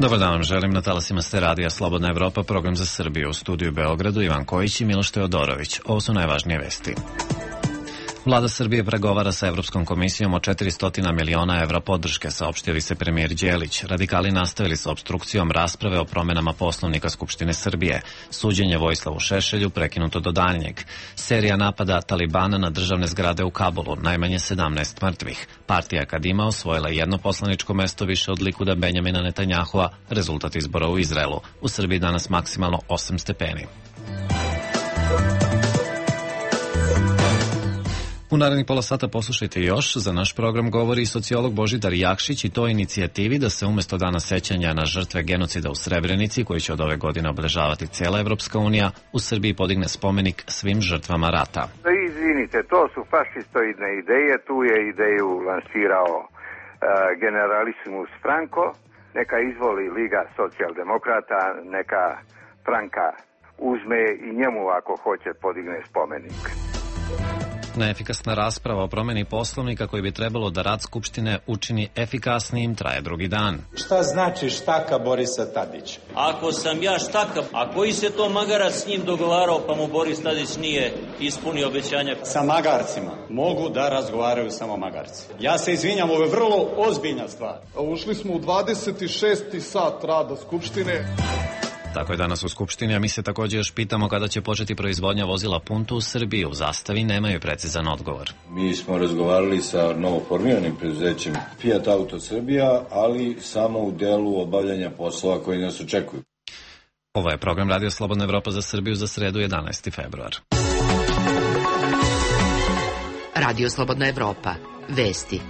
Dobar dan vam želim na talasima ste radija Slobodna Evropa, program za Srbiju. U studiju Beogradu Ivan Kojić i Miloš Teodorović. Ovo su najvažnije vesti. Vlada Srbije pregovara sa Evropskom komisijom o 400 miliona evra podrške, saopštio vicepremijer Đelić. Radikali nastavili sa opstrukcijom rasprave o promenama Poslovnika Skupštine Srbije. Suđenje Vojislavu Šešelju prekinuto do daljnjeg. Serija napada Talibana na državne zgrade u Kabulu, najmanje 17 mrtvih. Partija Kadima osvojila jedno poslaničko mesto više od Likuda Benjamina Netanjahua, rezultat izbora u Izraelu. U Srbiji danas maksimalno 8 stepeni. U narednih pola sata poslušajte još. Za naš program govori sociolog Božidar Jakšić i to inicijativi da se umesto dana sećanja na žrtve genocida u Srebrenici, koji će od ove godine obeležavati cijela Evropska unija, u Srbiji podigne spomenik svim žrtvama rata. Izvinite, to su fašistoidne ideje, tu je ideju lansirao generalisimus Franco, neka izvoli Liga socijaldemokrata, neka Franka uzme i njemu ako hoće podigne spomenik. Neefikasna rasprava o promeni Poslovnika koji bi trebalo da rad Skupštine učini efikasnijim traje drugi dan. Šta znači štaka Borisa Tadića? Ako sam ja štaka, a koji se to magarac s njim dogovarao pa mu Boris Tadić nije ispunio obećanja? Sa magarcima mogu da razgovaraju samo magarci. Ja se izvinjam, ovo je vrlo ozbiljna stvar. Ušli smo u 26. sat rada Skupštine. Tako je danas u Skupštini, a mi se također još pitamo kada će početi proizvodnja vozila Punto u Srbiji. U Zastavi nemaju precizan odgovor. Mi smo razgovarali sa novoformiranim preduzećem Fiat Auto Srbija, ali samo u delu obavljanja poslova koji nas očekuju. Ovo je program Radio Slobodna Evropa za Srbiju za sredu 11. februar. Radio Slobodna Evropa. Vesti.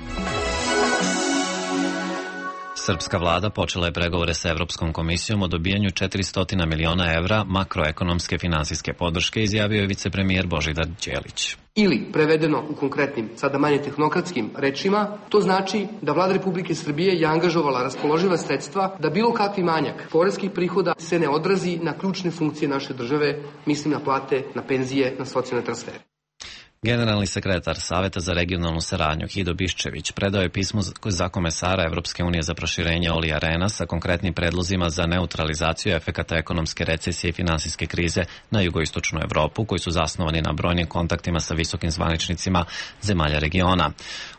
Srpska vlada počela je pregovore sa Evropskom komisijom o dobijanju 400 miliona evra makroekonomske finansijske podrške, izjavio je vicepremijer Božidar Đelić. Ili, prevedeno u konkretnim, sada manje tehnokratskim rečima, to znači da Vlada Republike Srbije je angažovala raspoloživa sredstva da bilo kakvi manjak poreskih prihoda se ne odrazi na ključne funkcije naše države, mislim na plate, na penzije, na socijalne transfere. Generalni sekretar Saveta za regionalnu saradnju Hido Biščević predao je pismo za komesara Evropske unije za proširenje Olija Rena sa konkretnim predlozima za neutralizaciju efekata ekonomske recesije i finansijske krize na jugoistočnu Evropu, koji su zasnovani na brojnim kontaktima sa visokim zvaničnicima zemalja regiona.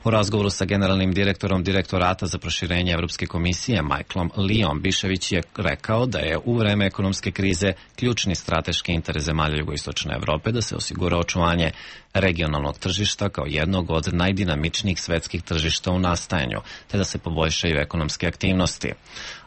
U razgovoru sa generalnim direktorom Direktorata za proširenje Evropske komisije Michaelom Leom, Biščević je rekao da je u vreme ekonomske krize ključni strateški interes zemalja jugoistočne Evrope da se osigura očuvanje regionalnog tržišta kao jednog od najdinamičnijih svetskih tržišta u nastajanju, te da se poboljšaju ekonomske aktivnosti.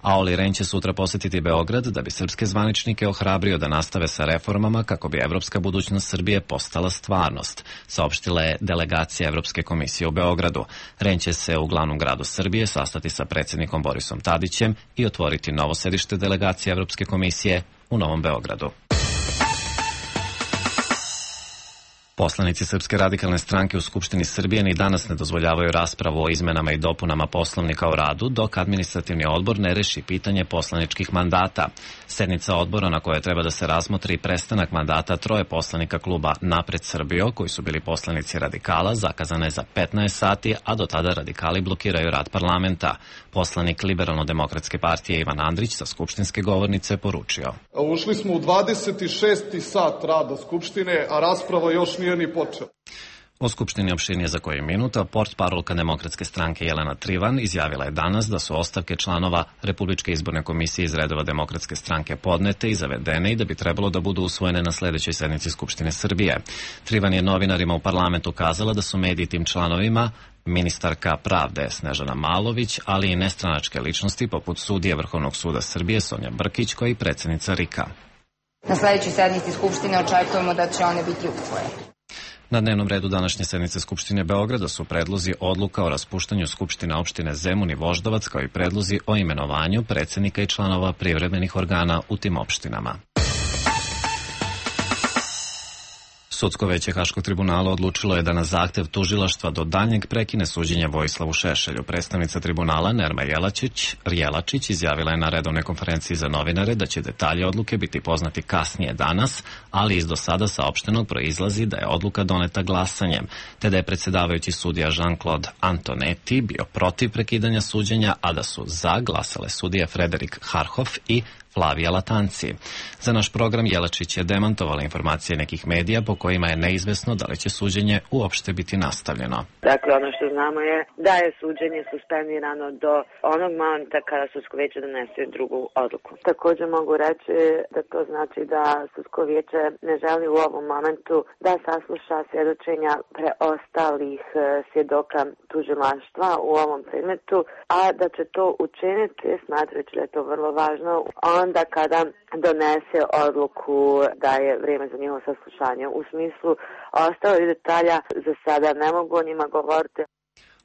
A Oli Ren će sutra posjetiti Beograd da bi srpske zvaničnike ohrabrio da nastave sa reformama kako bi evropska budućnost Srbije postala stvarnost, saopštila je delegacija Evropske komisije u Beogradu. Ren će se u glavnom gradu Srbije sastati sa predsjednikom Borisom Tadićem i otvoriti novo sedište delegacije Evropske komisije u Novom Beogradu. Poslanici Srpske radikalne stranke u Skupštini Srbije ni danas ne dozvoljavaju raspravu o izmenama i dopunama Poslovnika o radu dok administrativni odbor ne reši pitanje poslaničkih mandata. Sednica odbora na kojoj treba da se razmotri prestanak mandata troje poslanika kluba Napred Srbijo, koji su bili poslanici radikala, zakazana je za 15 sati, a do tada radikali blokiraju rad parlamenta. Poslanik Liberalno-demokratske partije Ivan Andrić sa skupštinske govornice poručio. Ušli smo u 26. sat rada Skupštine, a rasprava još nije ni počela. O Skupštini opširnije za koju minuta, portparolka Demokratske stranke Jelena Trivan izjavila je danas da su ostavke članova Republičke izborne komisije iz redova Demokratske stranke podnete i zavedene i da bi trebalo da budu usvojene na sledećoj sednici Skupštine Srbije. Trivan je novinarima u parlamentu kazala da su mediji tim članovima ministarka pravde Snežana Malović, ali i nestranačke ličnosti poput sudije Vrhovnog suda Srbije Sonja Brkić, koja je predsjednica RIK-a. Na sledećoj sednici Skupštine očekujemo da će one biti usvojene. Na dnevnom redu današnje sednice Skupštine Beograda su predlozi odluka o raspuštanju Skupštine opštine Zemun i Voždovac, kao i predlozi o imenovanju predsjednika i članova privremenih organa u tim opštinama. Sudsko veće Haškog tribunala odlučilo je da na zahtev tužilaštva do daljnjeg prekine suđenje Vojislavu Šešelju. Predstavnica tribunala Nerma Jelačić izjavila je na redovnoj konferenciji za novinare da će detalje odluke biti poznati kasnije danas, ali iz do sada saopštenog proizlazi da je odluka doneta glasanjem, te da je predsjedavajući sudija Jean-Claude Antonetti bio protiv prekidanja suđenja, a da su za glasale sudije Frederik Harhoff i Flavija Latanci. Za naš program Jelačić je demantovala informacije nekih medija po kojima je neizvesno da li će suđenje uopšte biti nastavljeno. Dakle, ono što znamo je da je suđenje suspendirano do onog momenta kada sudsko vijeće donese drugu odluku. Također mogu reći da to znači da sudsko vijeće ne želi u ovom momentu da sasluša svjedočenja preostalih svjedoka tužilaštva u ovom predmetu, a da će to učiniti, smatrajući da je to vrlo važno, onda kada donese odluku da je vrijeme za njihovo saslušanje. U smislu ostalih detalja za sada ne mogu o njima govoriti.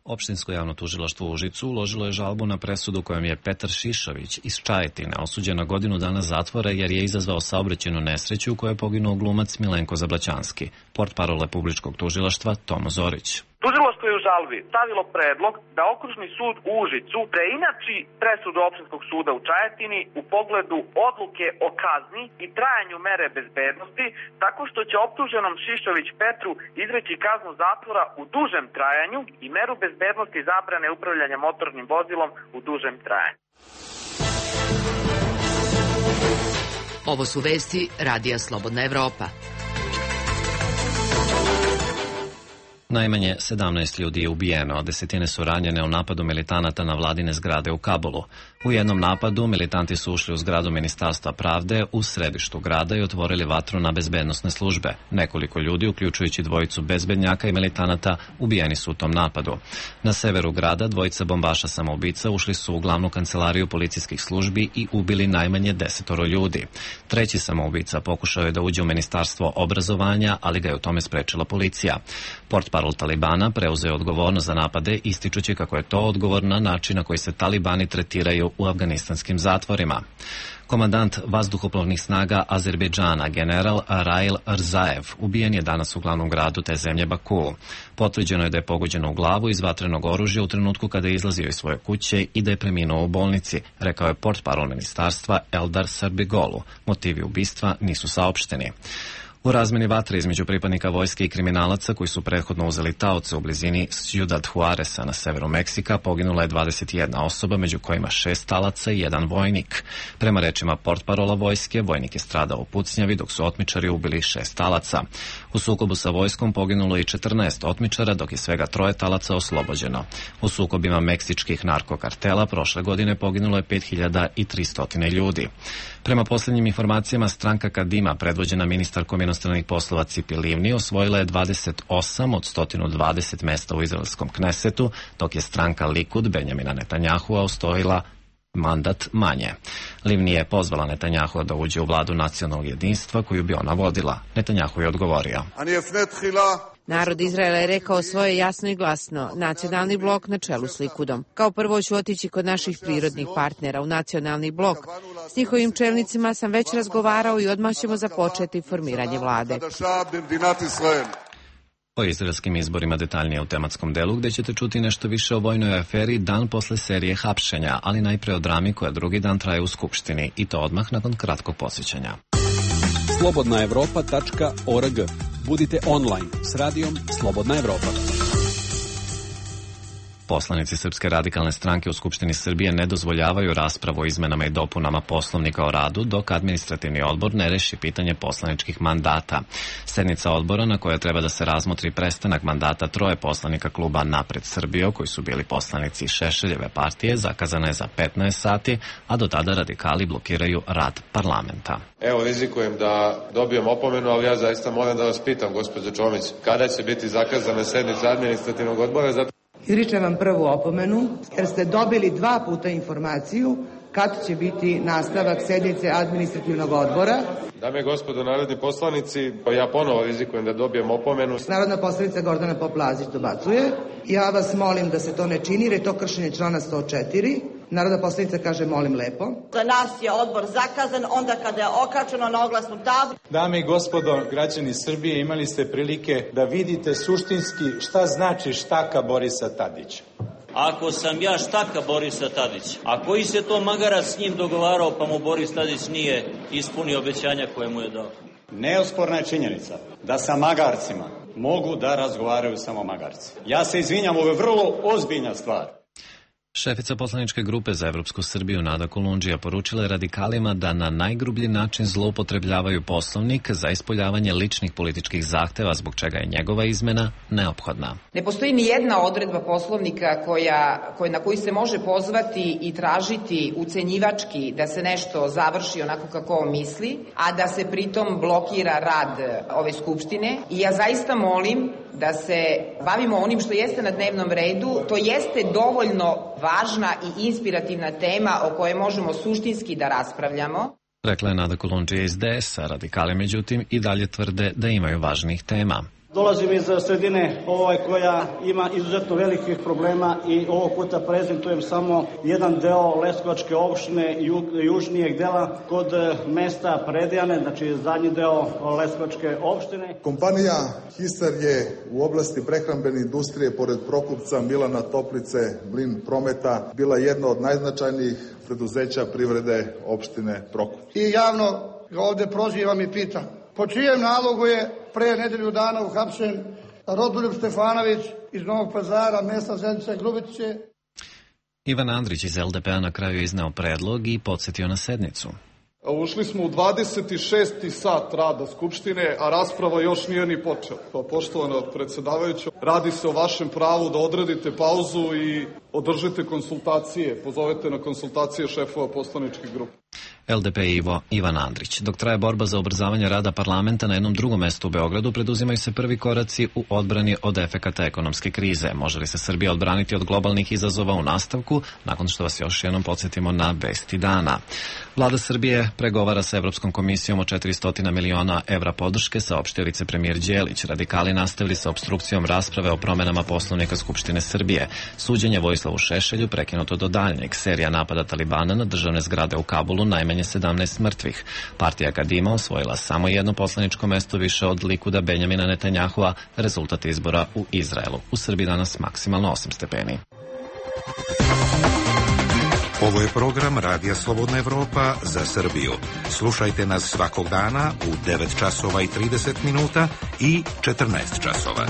Opštinsko javno tužilaštvo u Užicu uložilo je žalbu na presudu kojom je Petar Šišović iz Čajetine osuđen na godinu dana zatvora jer je izazvao saobraćajnu nesreću u kojoj je poginuo glumac Milenko Zablaćanski. Portparol Republičkog tužilaštva Tomo Zorić. Tužilaštvo je u žalbi stavilo predlog da Okružni sud u Užicu preinači presudu Opštinskog suda u Čajetini u pogledu odluke o kazni i trajanju mere bezbednosti, tako što će optuženom Šišović Petru izreći kaznu zatvora u dužem trajanju i meru bezbednosti zabrane upravljanja motornim vozilom u dužem trajanju. Ovo su vesti Radija Slobodna Evropa. Najmanje 17 ljudi je ubijeno, a desetine su ranjene u napadu militanata na vladine zgrade u Kabulu. U jednom napadu militanti su ušli u zgradu Ministarstva pravde u središtu grada i otvorili vatru na bezbednosne službe. Nekoliko ljudi, uključujući dvojicu bezbednjaka i militanata, ubijeni su u tom napadu. Na severu grada dvojica bombaša samoubica ušli su u glavnu kancelariju policijskih službi i ubili najmanje 10 ljudi. Treći samoubica pokušao je da uđe u Ministarstvo obrazovanja, ali ga je u tome sprečila policija. Portparol Talibana preuzeo odgovornost za napade, ističući kako je to odgovor na način na koji se Talibani tretiraju u afganistanskim zatvorima. Komandant vazduhoplovnih snaga Azerbejdžana, general Rail Rzaev, ubijen je danas u glavnom gradu te zemlje Baku. Potvrđeno je da je pogođeno u glavu iz vatrenog oružja u trenutku kada je izlazio iz svoje kuće i da je preminuo u bolnici, rekao je portparol ministarstva Eldar Srbigolu. Motivi ubistva nisu saopšteni. U razmeni vatre između pripadnika vojske i kriminalaca koji su prethodno uzeli taoce u blizini Ciudad Juareza na severu Meksika poginula je 21 osoba, među kojima 6 talaca i 1 vojnik. Prema rečima portparola vojske, vojnik je stradao u pucnjavi dok su otmičari ubili 6 talaca. U sukobu sa vojskom poginulo je 14 otmičara dok je svega 3 talaca oslobođeno. U sukobima meksičkih narkokartela prošle godine poginulo je 5300 ljudi. Prema posljednjim informacijama, stranka Kadima, predvođena ministarkom inostranih poslova Cipi Livni, osvojila je 28 od 120 mesta u izraelskom Knesetu, dok je stranka Likud Benjamina Netanyahua osvojila mandat manje. Livni je pozvala Netanyahua da uđe u vladu nacionalnog jedinstva koju bi ona vodila. Netanyahu je odgovorio: Narod Izraela je rekao svoje jasno i glasno, nacionalni blok na čelu s Likudom. Kao prvo ću otići kod naših prirodnih partnera u nacionalni blok. S njihovim čelnicima sam već razgovarao i odmah ćemo započeti formiranje vlade. O izraelskim izborima detaljnije u tematskom delu, gde ćete čuti nešto više o vojnoj aferi dan posle serije hapšenja, ali najpre o drami koja drugi dan traje u Skupštini, i to odmah nakon kratkog podsjećanja. slobodnaevropa.org. Budite online s radijom Slobodna Evropa. Poslanici Srpske radikalne stranke u Skupštini Srbije ne dozvoljavaju raspravu o izmenama i dopunama Poslovnika o radu dok administrativni odbor ne reši pitanje poslaničkih mandata. Sednica odbora na kojoj treba da se razmotri prestanak mandata 3 poslanika kluba Napred Srbijo, koji su bili poslanici Šešeljeve partije, zakazana je za 15 sati, a do tada radikali blokiraju rad parlamenta. Evo, rizikujem da dobijem opomenu, ali ja zaista moram da vas pitam, gospođo Čomić, kada će biti zakazana sednica administrativnog odbora? Izričem vam prvu opomenu, jer ste dobili 2 puta informaciju kad će biti nastavak sednice administrativnog odbora. Dame i gospodo narodni poslanici, ja ponovo rizikujem da dobijem opomenu. Narodna poslanica Gordana Poplazić dobacuje. Ja vas molim da se to ne čini, jer je to kršenje člana 104. Narodna poslanica kaže molim lepo. Za nas je odbor zakazan onda kada je okačeno na oglasnu tablu. Dame i gospodo, građani Srbije, imali ste prilike da vidite suštinski šta znači štaka Borisa Tadića. Ako sam ja štaka Borisa Tadića, a koji se to magarac s njim dogovarao pa mu Boris Tadić nije ispunio obećanja koje mu je dao? Neosporna je činjenica da sa magarcima mogu da razgovaraju samo magarci. Ja se izvinjam, ovo je vrlo ozbiljna stvar. Šefica poslaničke grupe za Evropsku Srbiju Nada Kolundžija poručila je radikalima da na najgrublji način zloupotrebljavaju Poslovnik za ispoljavanje ličnih političkih zahteva, zbog čega je njegova izmena neophodna. Ne postoji ni jedna odredba Poslovnika na koju se može pozvati i tražiti ucenjivački da se nešto završi onako kako on misli, a da se pritom blokira rad ove Skupštine. I ja zaista molim da se bavimo onim što jeste na dnevnom redu. To jeste dovoljno važna i inspirativna tema o kojoj možemo suštinski da raspravljamo. Rekla je Nada Kolundžija iz DS-a. Radikali, međutim, i dalje tvrde da imaju važnijih tema. Dolazim iz sredine koja ima izuzetno velikih problema i ovog puta prezentujem samo jedan deo Leskovačke opštine južnijeg dela kod mesta Predejane, znači zadnji deo Leskovačke opštine. Kompanija Hisar je u oblasti prehrambene industrije pored Prokupca, Milana, Toplice, Mlin Prometa bila jedna od najznačajnijih preduzeća privrede opštine Prokup. I javno ga ovde prozivam i pitam, po čijem nalogu je pre nedelju dana uhapšen Rodoljub Stefanović iz Novog Pazara, mesta Zenice Grubice? Ivan Andrić iz LDP-a na kraju izneo predlog i podsjetio na sednicu. Ušli smo u 26. sat rada Skupštine, a rasprava još nije ni počela. Pa, poštovana predsjedavajuća, radi se o vašem pravu da odredite pauzu i održite konsultacije, pozovete na konsultacije šefova poslaničkih grupa. LDP Ivan Andrić. Dok traje borba za ubrzavanje rada parlamenta na jednom drugom mestu u Beogradu, preduzimaju se prvi koraci u odbrani od efekata ekonomske krize. Može li se Srbija odbraniti od globalnih izazova u nastavku, nakon što vas još jednom podsjetimo na vesti dana. Vlada Srbije pregovara sa Evropskom komisijom o 400 miliona evra podrške, saopštio vicepremijer Đelić. Radikali nastavili sa opstrukcijom rasprave o promenama Poslovnika Skupštine Srbije. Suđenje Vojislavu Šešelju prekinuto do daljnjeg. Serija napada Talibana na državne zgrade u Kabulu, najmanje 17 mrtvih. Partija Kadima osvojila samo jedno poslaničko mesto više od Likuda Benjamina Netanjahua, rezultat izbora u Izraelu. U Srbiji danas maksimalno 8 stepeni. Ovo je program Radija Slobodna Evropa za Srbiju. Slušajte nas svakog dana u 9 časova i 30 minuta i 14 časova.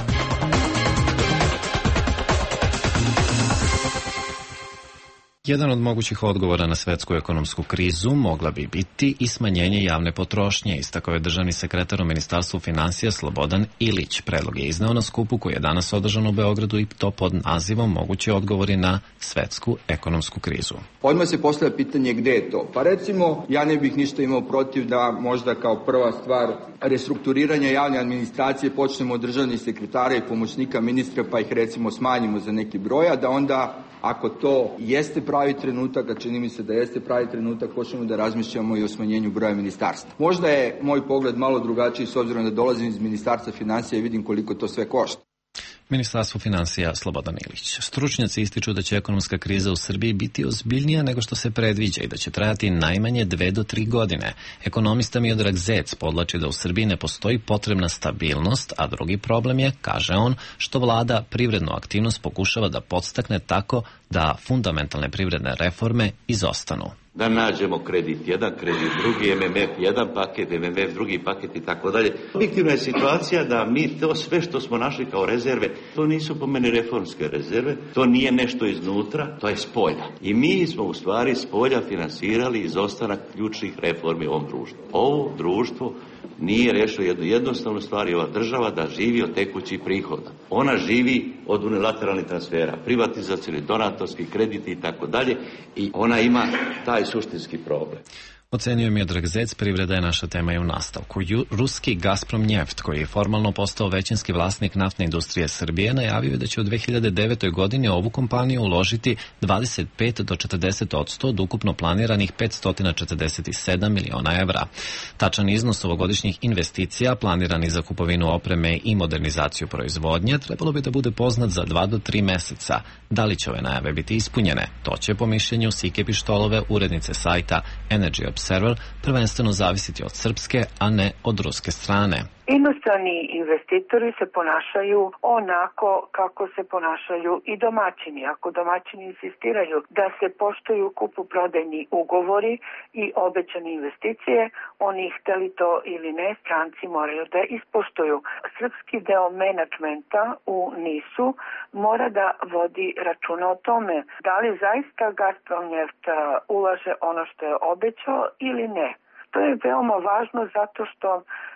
Jedan od mogućih odgovora na svetsku ekonomsku krizu mogla bi biti i smanjenje javne potrošnje, istakao je državni sekretar u Ministarstvu finansija Slobodan Ilić. Predlog je izneo na skupu koji je danas održan u Beogradu i to pod nazivom Mogući odgovori na svetsku ekonomsku krizu. Odmah se postavlja pitanje gde je to. Pa recimo, ja ne bih ništa imao protiv da možda kao prva stvar restrukturiranja javne administracije počnemo od državnih sekretara i pomoćnika ministra, pa ih recimo smanjimo za neki broj, a da onda, ako to jeste pravi trenutak, a čini mi se da jeste pravi trenutak, počnemo da razmišljamo i o smanjenju broja ministarstva. Možda je moj pogled malo drugačiji s obzirom da dolazim iz Ministarstva finansija i vidim koliko to sve košta. Ministarstvo finansija Slobodan Ilić. Stručnjaci ističu da će ekonomska kriza u Srbiji biti ozbiljnija nego što se predviđa i da će trajati najmanje 2 do 3 godine. Ekonomista Miodrag Zec podlači da u Srbiji ne postoji potrebna stabilnost, a drugi problem je, kaže on, što vlada privrednu aktivnost pokušava da podstakne tako da fundamentalne privredne reforme izostanu. Da nađemo kredit jedan, kredit drugi, MMF jedan paket, MMF drugi paket i tako dalje. Objektivna je situacija da mi to sve što smo našli kao rezerve, to nisu po meni reformske rezerve, to nije nešto iznutra, to je spolja. I mi smo u stvari spolja finansirali izostanak ključnih reformi u ovom društvu. Ovo društvo nije rešilo jednu jednostavnu stvar, i ova država da živi od tekućih prihoda. Ona živi od unilateralnih transfera, privatizacijni, donatorski krediti i tako dalje, i ona ima taj suštinski problem. Ocenio Miodrag Zec, privreda je naša tema i u nastavku. Ruski Gazprom Njeft, koji je formalno postao većinski vlasnik naftne industrije Srbije, najavio je da će u 2009. godini ovu kompaniju uložiti 25 do 40% od ukupno planiranih 547 miliona evra. Tačan iznos ovogodišnjih investicija, planirani za kupovinu opreme i modernizaciju proizvodnje, trebalo bi da bude poznat za 2 do 3 meseca. Da li će ove najave biti ispunjene? To će, po mišljenju Sike Pištolove, urednice sajta Energy Observer, prvenstveno zavisiti od srpske, a ne od ruske strane. Inostrani investitori se ponašaju onako kako se ponašaju i domaćini. Ako domaćini insistiraju da se poštuju kupoprodajni ugovori i obećane investicije, oni hteli to ili ne, stranci moraju da ispoštuju. Srpski deo menadžmenta u NIS-u mora da vodi računa o tome da li zaista Gazprom Njeft ulaže ono što je obećao ili ne. To je veoma važno zato što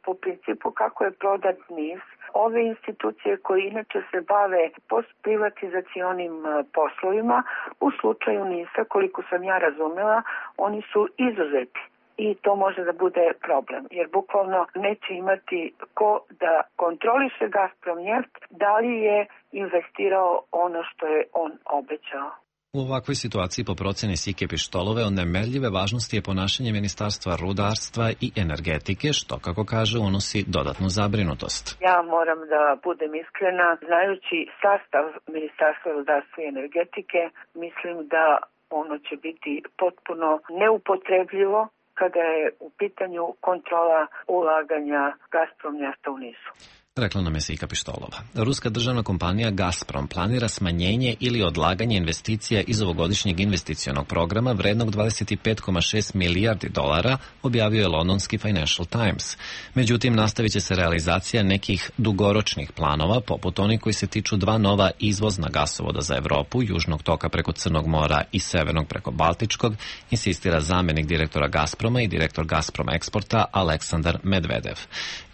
po principu kako je prodat NIS, ove institucije koje inače se bave postprivatizacionim poslovima, u slučaju NIS-a, koliko sam ja razumela, oni su izuzeti. I to može da bude problem, jer bukvalno neće imati ko da kontroliše Gazprom Njeft, da li je investirao ono što je on obećao. U ovakvoj situaciji, po proceni Sike Pištolove, od nemerljive važnosti je ponašanje Ministarstva rudarstva i energetike, što, kako kaže, unosi dodatnu zabrinutost. Ja moram da budem iskrena, znajući sastav Ministarstva rudarstva i energetike, mislim da ono će biti potpuno neupotrebljivo kada je u pitanju kontrola ulaganja Gazprom Njefta u NIS-u. Rekla nam je Sika Pištolova. Ruska državna kompanija Gazprom planira smanjenje ili odlaganje investicija iz ovogodišnjeg investicionog programa vrednog 25,6 milijardi dolara, objavio je londonski Financial Times. Međutim, nastavit će se realizacija nekih dugoročnih planova, poput onih koji se tiču 2 nova izvozna gasovoda za Evropu, Južnog toka preko Crnog mora i Severnog preko Baltičkog, insistira zamenik direktora Gazproma i direktor Gazprom Eksporta Aleksandar Medvedev.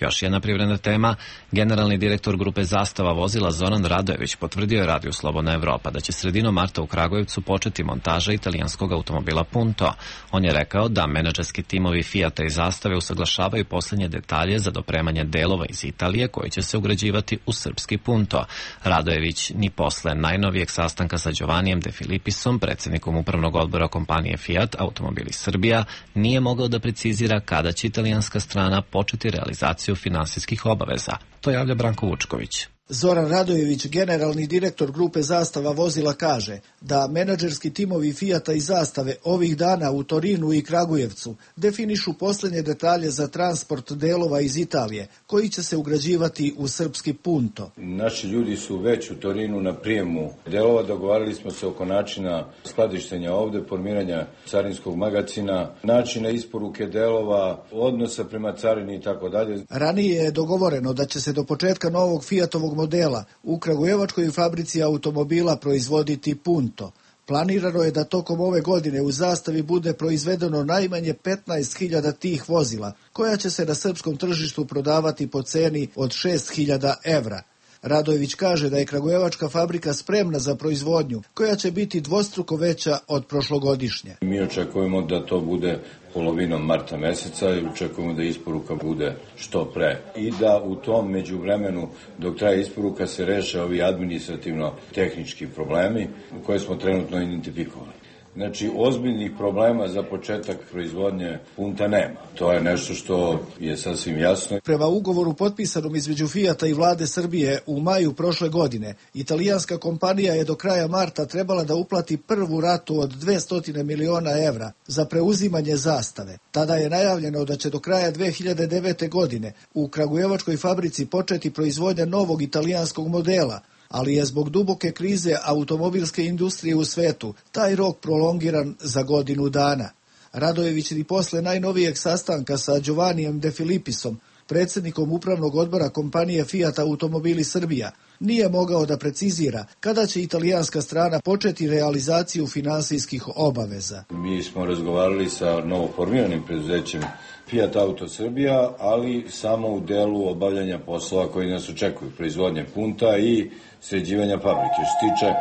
Još jedna privredna tema. Generalni direktor grupe Zastava vozila Zoran Radojević potvrdio je Radiju Slobodna Evropa da će sredinom marta u Kragujevcu početi montaža italijanskog automobila Punto. On je rekao da menadžerski timovi Fijata i Zastave usaglašavaju posljednje detalje za dopremanje delova iz Italije koji će se ugrađivati u srpski Punto. Radojević ni posle najnovijeg sastanka sa Giovannijem De Filipisom, predsjednikom upravnog odbora kompanije Fiat Automobili Srbija, nije mogao da precizira kada će italijanska strana početi realizaciju finansijskih obaveza. To javlja Branko Vučković. Zoran Radojević, generalni direktor grupe Zastava vozila, kaže da menadžerski timovi Fijata i Zastave ovih dana u Torinu i Kragujevcu definišu posljednje detalje za transport delova iz Italije, koji će se ugrađivati u srpski Punto. Naši ljudi su već u Torinu na prijemu delova, dogovarali smo se oko načina skladištenja ovde, formiranja carinskog magacina, načina isporuke delova, odnosa prema carini i tako dalje. Ranije je dogovoreno da će se do početka novog Fijatovog modela u kragujevačkoj fabrici automobila proizvoditi Punto. Planirano je da tokom ove godine u Zastavi bude proizvedeno najmanje 15.000 tih vozila, koja će se na srpskom tržištu prodavati po ceni od 6.000 evra. Radojević kaže da je kragujevačka fabrika spremna za proizvodnju, koja će biti dvostruko veća od prošlogodišnje. Mi očekujemo da to bude polovinom marta meseca i očekujemo da isporuka bude što pre. I da u tom međuvremenu, dok traje isporuka, se reše ovi administrativno-tehnički problemi koje smo trenutno identifikovali. Znači, ozbiljnih problema za početak proizvodnje Punta nema. To je nešto što je sasvim jasno. Prema ugovoru potpisanom između Fijata i vlade Srbije u maju prošle godine, italijanska kompanija je do kraja marta trebala da uplati prvu ratu od 200 miliona evra za preuzimanje Zastave. Tada je najavljeno da će do kraja 2009. godine u kragujevačkoj fabrici početi proizvodnja novog italijanskog modela, ali je zbog duboke krize automobilske industrije u svetu taj rok prolongiran za godinu dana. Radojević i posle najnovijeg sastanka sa Giovannijem De Filipisom, predsjednikom upravnog odbora kompanije Fiat Automobili Srbija, nije mogao da precizira kada će italijanska strana početi realizaciju finansijskih obaveza. Mi smo razgovarali sa novoformiranim preduzećem Fiat Auto Srbija, ali samo u delu obavljanja poslova koji nas očekuju, proizvodnje punta i sređivanja fabrike. Što se tiče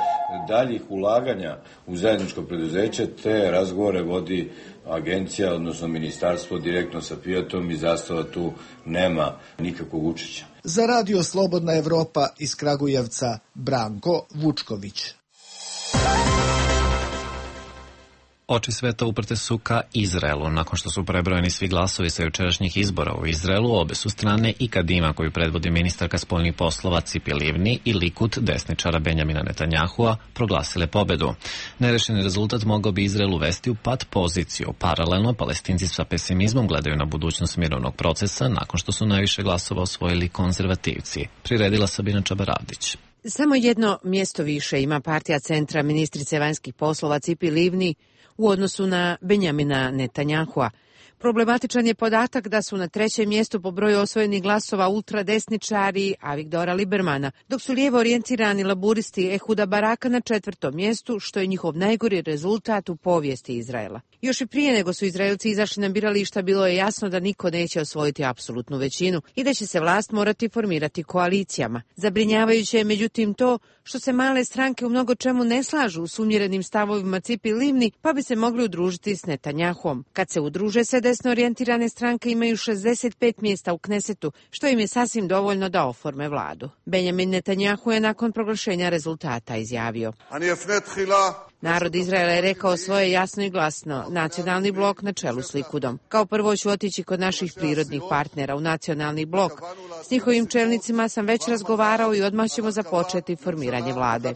daljih ulaganja u zajedničko preduzeće, te razgovore vodi agencija, odnosno ministarstvo direktno sa Fiatom i Zastava tu nema nikakvog učešća. Za Radio Slobodna Evropa iz Kragujevca, Branko Vučković. Oči sveta uprte su ka Izraelu. Nakon što su prebrojeni svi glasovi sa jučerašnjih izbora u Izraelu, obe su strane i Kadima, koju predvodi ministarka spoljnih poslova Cipi Livni, i Likud, desničara Benjamina Netanjahua, proglasile pobedu. Nerešeni rezultat mogao bi Izrael uvesti u pad poziciju. Paralelno, Palestinci sa pesimizmom gledaju na budućnost mirovnog procesa nakon što su najviše glasova osvojili konzervativci. Priredila Sabina Čabaravdić. Samo jedno mjesto više ima partija centra ministrice vanjskih poslova Cipi Livni u odnosu na Benjamina Netanjahua. Problematičan je podatak da su na trećem mjestu po broju osvojenih glasova ultradesničari Avigdora Libermana, dok su lijevo orijentirani laburisti Ehuda Baraka na četvrtom mjestu, što je njihov najgori rezultat u povijesti Izraela. Još i prije nego su Izraelci izašli na birališta, bilo je jasno da niko neće osvojiti apsolutnu većinu i da će se vlast morati formirati koalicijama. Zabrinjavajuće je međutim to što se male stranke u mnogo čemu ne slažu s umjerenim stavovima Cipi Livni, pa bi se mogli udružiti s Netanjahom. Kad se udruže, se desno orijentirane stranke imaju 65 mjesta u Knesetu, što im je sasvim dovoljno da oforme vladu. Benjamin Netanjahu je nakon proglašenja rezultata izjavio: Narod Izraela je rekao svoje jasno i glasno, nacionalni blok na čelu s Likudom. Kao prvo ću otići kod naših prirodnih partnera u nacionalni blok. S njihovim čelnicima sam već razgovarao i odmah ćemo započeti formiranje vlade.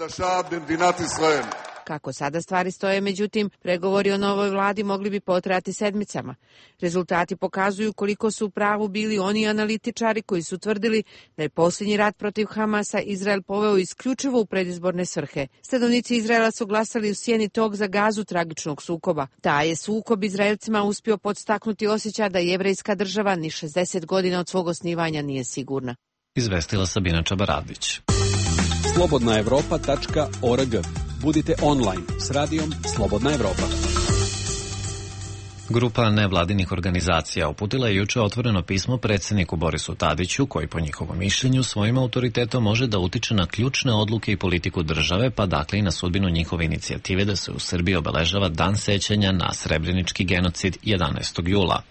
Kako sada stvari stoje, međutim, pregovori o novoj vladi mogli bi potrajati sedmicama. Rezultati pokazuju koliko su u pravu bili oni analitičari koji su tvrdili da je posljednji rat protiv Hamasa Izrael poveo isključivo u predizborne svrhe. Stanovnici Izraela su glasali u sjeni tog za Gazu tragičnog sukoba. Taj je sukob Izraelcima uspio podstaknuti osjećaj da jevrejska država ni 60 godina od svog osnivanja nije sigurna. Izvestila Sabina Čabaravdić. slobodnaevropa.org. Budite online s radijom Slobodna Evropa. Grupa nevladinih organizacija uputila je juče otvoreno pismo predsjedniku Borisu Tadiću, koji po njihovom mišljenju svojim autoritetom može da utiče na ključne odluke i politiku države, pa dakle i na sudbinu njihove inicijative da se u Srbiji obeležava Dan sećanja na srebrenički genocid 11. jula.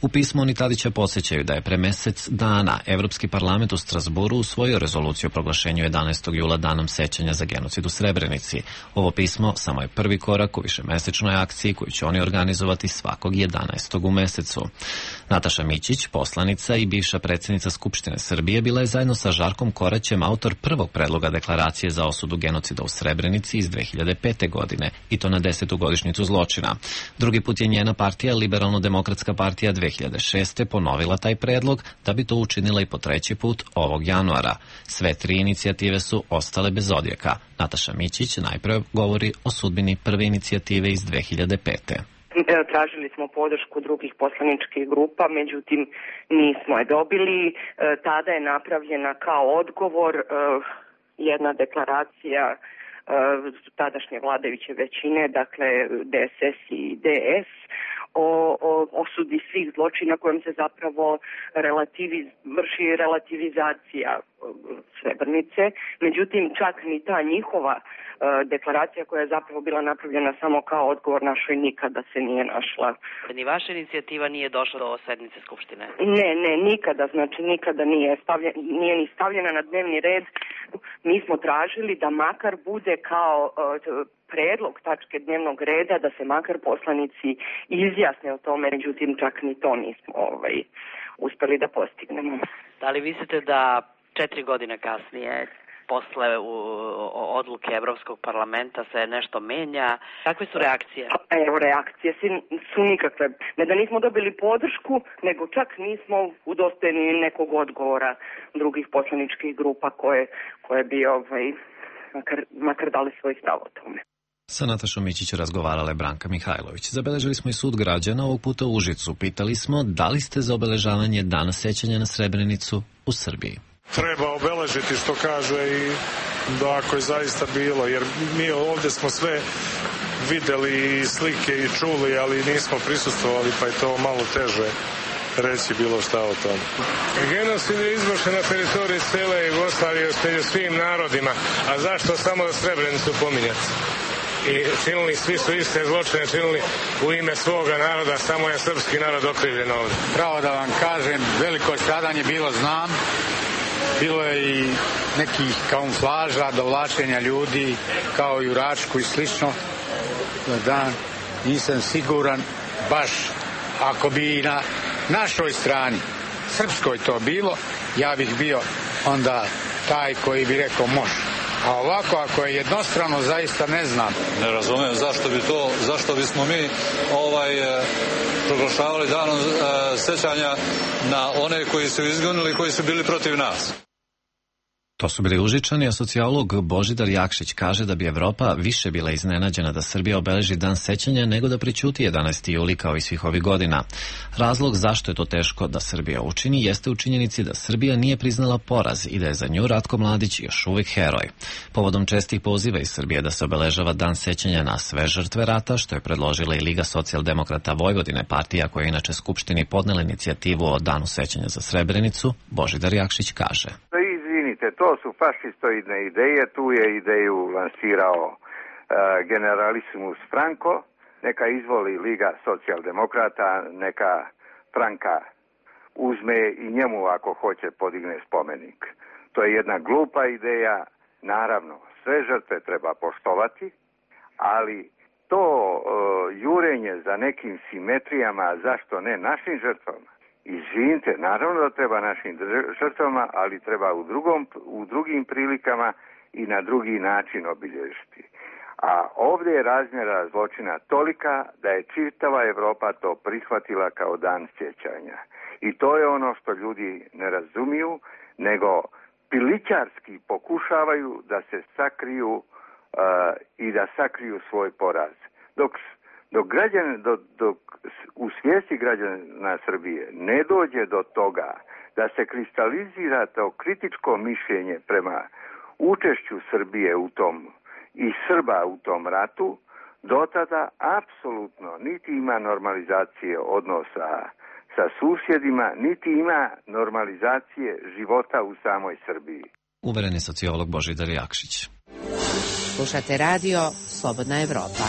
U pismu oni Tadića podsjećaju da je pre mesec dana Evropski parlament u Strasburu usvojio rezoluciju o proglašenju 11. jula danom sećanja za genocid u Srebrenici. Ovo pismo samo je prvi korak u višemesečnoj akciji koju će oni organizovati svakog 11. u mesecu. Nataša Mićić, poslanica i bivša predsjednica Skupštine Srbije, bila je zajedno sa Žarkom Koraćem autor prvog predloga deklaracije za osudu genocida u Srebrenici iz 2005. godine, i to na 10. godišnjicu zločina. Drugi put je njena partija, Liberalno-demokratska partija, 2006. ponovila taj predlog, da bi to učinila i po treći put ovog januara. Sve tri inicijative su ostale bez odjeka. Nataša Mićić najprve govori o sudbini prve inicijative iz 2005. Tražili smo podršku drugih poslaničkih grupa, međutim nismo je dobili. Tada je napravljena kao odgovor jedna deklaracija tadašnje vladajuće većine, dakle DSS i DS, o osudi svih zločina kojom se zapravo vrši relativizacija Srebrenice. Međutim, čak ni ta njihova deklaracija, koja je zapravo bila napravljena samo kao odgovor našoj, nikada se nije našla. Ni vaša inicijativa nije došla do sednice Skupštine? Ne, nikada, znači nikada nije ni stavljena na dnevni red. Mi smo tražili da makar bude kao predlog tačke dnevnog reda, da se makar poslanici izjasne o tome, međutim čak ni to nismo uspeli da postignemo. Da li mislite da 4 godine kasnije, posle odluke Evropskog parlamenta, se nešto menja? Kakve su reakcije? Evo, reakcije su nikakve. Ne da nismo dobili podršku, nego čak nismo udostojeni nekog odgovora drugih poslaničkih grupa koje bi makar dali svoj stav o tome. Sa Natašom Mićić razgovarala je Branka Mihajlović. Zabeležili smo i sud građana, ovog puta u Užicu. Pitali smo da li ste za obeležavanje Dana sećanja na Srebrenicu u Srbiji. Treba obeležiti, što kaže, i da ako je zaista bilo, jer mi ovdje smo sve videli i slike i čuli, ali nismo prisustvovali, pa je to malo teže reći bilo šta o tom. Genocid je izvršen na teritoriji cele Jugoslavije među svim narodima, a zašto samo da Srebrenicu pominjati? I činili, svi su iste zločine činili u ime svoga naroda, samo je srpski narod okrivljen ovdje. Pravo da vam kažem, veliko stradanje bilo znam, bilo je i nekih kamuflaža, dovlačenja ljudi, kao i u Račku i slično. Da, nisam siguran baš ako bi na našoj strani, srpskoj to bilo, ja bih bio onda taj koji bi rekao može. A ovako, ako je jednostrano, zaista ne znam. Ne razumijem zašto bismo mi proglašavali danom sećanja na one koji su izgonili, koji su bili protiv nas. To su bili Užičani, a sociolog Božidar Jakšić kaže da bi Evropa više bila iznenađena da Srbija obeleži dan sećanja nego da prećuti 11. juli kao i svih ovih godina. Razlog zašto je to teško da Srbija učini jeste u činjenici da Srbija nije priznala poraz i da je za nju Ratko Mladić još uvijek heroj. Povodom čestih poziva iz Srbije da se obeležava dan sećanja na sve žrtve rata, što je predložila i Liga socijaldemokrata Vojvodine, partija koja je inače Skupštini podnela inicijativu o danu sećanja za Srebrenicu, Božidar Jakšić kaže. To su fašistoidne ideje, tu je ideju lansirao generalissimus Franco, neka izvoli Liga socijaldemokrata, neka Franka uzme i njemu ako hoće podigne spomenik. To je jedna glupa ideja, naravno sve žrtve treba poštovati, ali to jurenje za nekim simetrijama, zašto ne našim žrtvama? Izvinite, naravno da treba našim žrtvama, ali treba u drugim prilikama i na drugi način obilježiti. A ovdje je razmjera zločina tolika da je čitava Evropa to prihvatila kao dan sjećanja. I to je ono što ljudi ne razumiju, nego pilićarski pokušavaju da se sakriju i da sakriju svoj poraz. Dok u svijesti građana Srbije ne dođe do toga da se kristalizira to kritičko mišljenje prema učešću Srbije u tom i Srba u tom ratu, do tada apsolutno niti ima normalizacije odnosa sa susjedima, niti ima normalizacije života u samoj Srbiji. Uveren je sociolog Božidar Jakšić. Slušate radio Slobodna Evropa.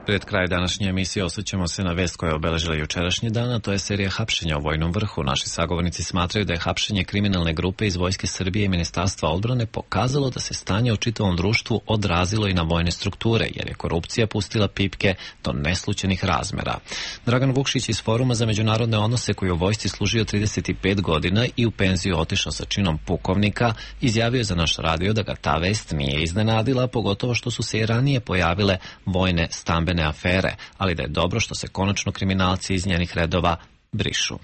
Pred kraj današnje emisije osvrćemo se na vest koja je obeležila jučerašnji dan, a to je serija hapšenja u vojnom vrhu. Naši sagovornici smatraju da je hapšenje kriminalne grupe iz Vojske Srbije i Ministarstva odbrane pokazalo da se stanje u čitavom društvu odrazilo i na vojne strukture, jer je korupcija pustila pipke do neslućenih razmera. Dragan Vukšić iz Foruma za međunarodne odnose, koji je u vojsci služio 35 godina i u penziju otišao sa činom pukovnika, izjavio za naš radio da ga ta vest nije iznenadila, pogotovo što su se i ranije pojavile vojne stambene afere, ali da je dobro što se konačno kriminalci iz njenih redova brišu.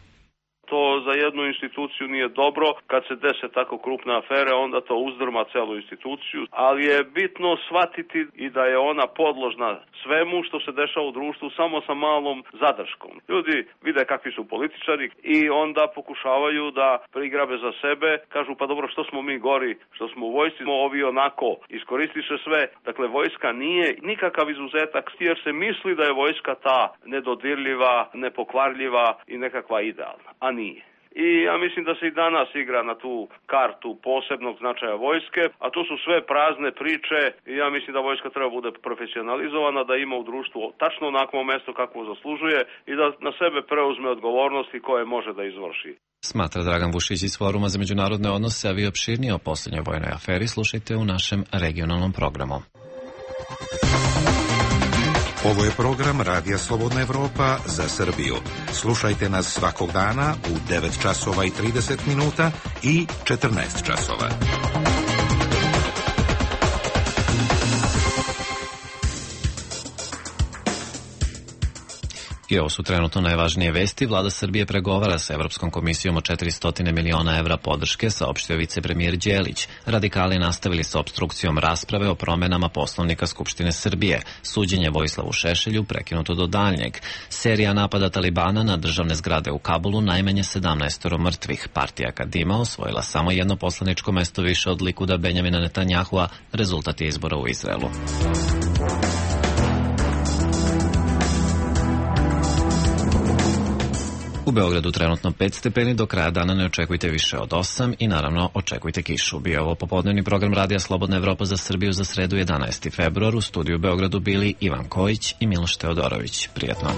To za jednu instituciju nije dobro, kad se dese tako krupne afere, onda to uzdrma celu instituciju, ali je bitno shvatiti i da je ona podložna svemu što se dešava u društvu samo sa malom zadrškom. Ljudi vide kakvi su političari i onda pokušavaju da prigrabe za sebe, kažu pa dobro što smo mi gori, što smo u vojsci, ovi onako, iskoristiše sve. Dakle, vojska nije nikakav izuzetak, jer se misli da je vojska ta nedodirljiva, nepokvarljiva i nekakva idealna, a nije. I ja mislim da se i danas igra na tu kartu posebnog značaja vojske, a to su sve prazne priče i ja mislim da vojska treba bude profesionalizovana, da ima u društvu tačno onakvo mesto kakvo zaslužuje i da na sebe preuzme odgovornosti koje može da izvrši. Smatra Dragan Vušić iz Foruma za međunarodne odnose, a vi opširnije o posljednjoj vojnoj aferi slušajte u našem regionalnom programu. Ovo je program Radija Slobodna Evropa za Srbiju. Slušajte nas svakog dana u 9 časova i 30 minuta i 14 časova. I ovo su trenutno najvažnije vesti. Vlada Srbije pregovara sa Evropskom komisijom o 400 miliona evra podrške, saopštio vicepremijer Đelić. Radikali nastavili sa opstrukcijom rasprave o promenama Poslovnika Skupštine Srbije. Suđenje Vojislavu Šešelju prekinuto do daljnjeg. Serija napada Talibana na državne zgrade u Kabulu, najmanje 17 mrtvih. Partija Kadima osvojila samo jedno poslaničko mesto više od Likuda Benjamina Netanjahua. Rezultat je izbora u Izraelu. U Beogradu trenutno 5 stepeni, do kraja dana ne očekujte više od 8 i naravno očekujte kišu. Bio ovo popodnevni program Radija Slobodna Evropa za Srbiju za sredu 11. februar. U studiju u Beogradu bili Ivan Kojić i Miloš Teodorović. Prijetno.